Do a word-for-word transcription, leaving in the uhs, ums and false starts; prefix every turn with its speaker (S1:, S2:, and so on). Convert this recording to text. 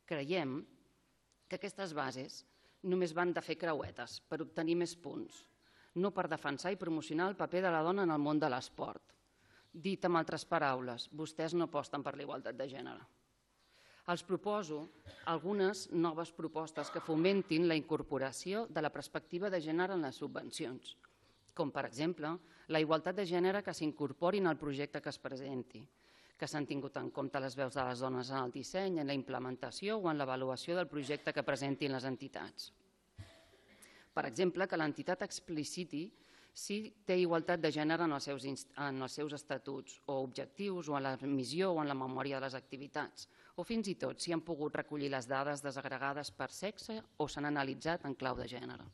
S1: Creiem que aquestes bases només van de fer creuetes per obtenir més punts, no per defensar i promocionar el paper de la dona en el món de l'esport. Dit amb altres paraules, vostès no aposten per la igualtat de gènere. Els proposo algunes noves propostes que fomentin la incorporació de la perspectiva de gènere en les subvencions, com per exemple la igualtat de gènere que s'incorporin al projecte que es presenti, que s'han tingut en compte les veus de les dones en el disseny, en la implementació o en l'avaluació del projecte que presentin les entitats. Per exemple, que l'entitat expliciti si té igualtat de gènere en els seus, en els seus estatuts o objectius o en la missió o en la memòria de les activitats, o fins i tot si han pogut recollir les dades desagregades per sexe o s'han analitzat en clau de gènere.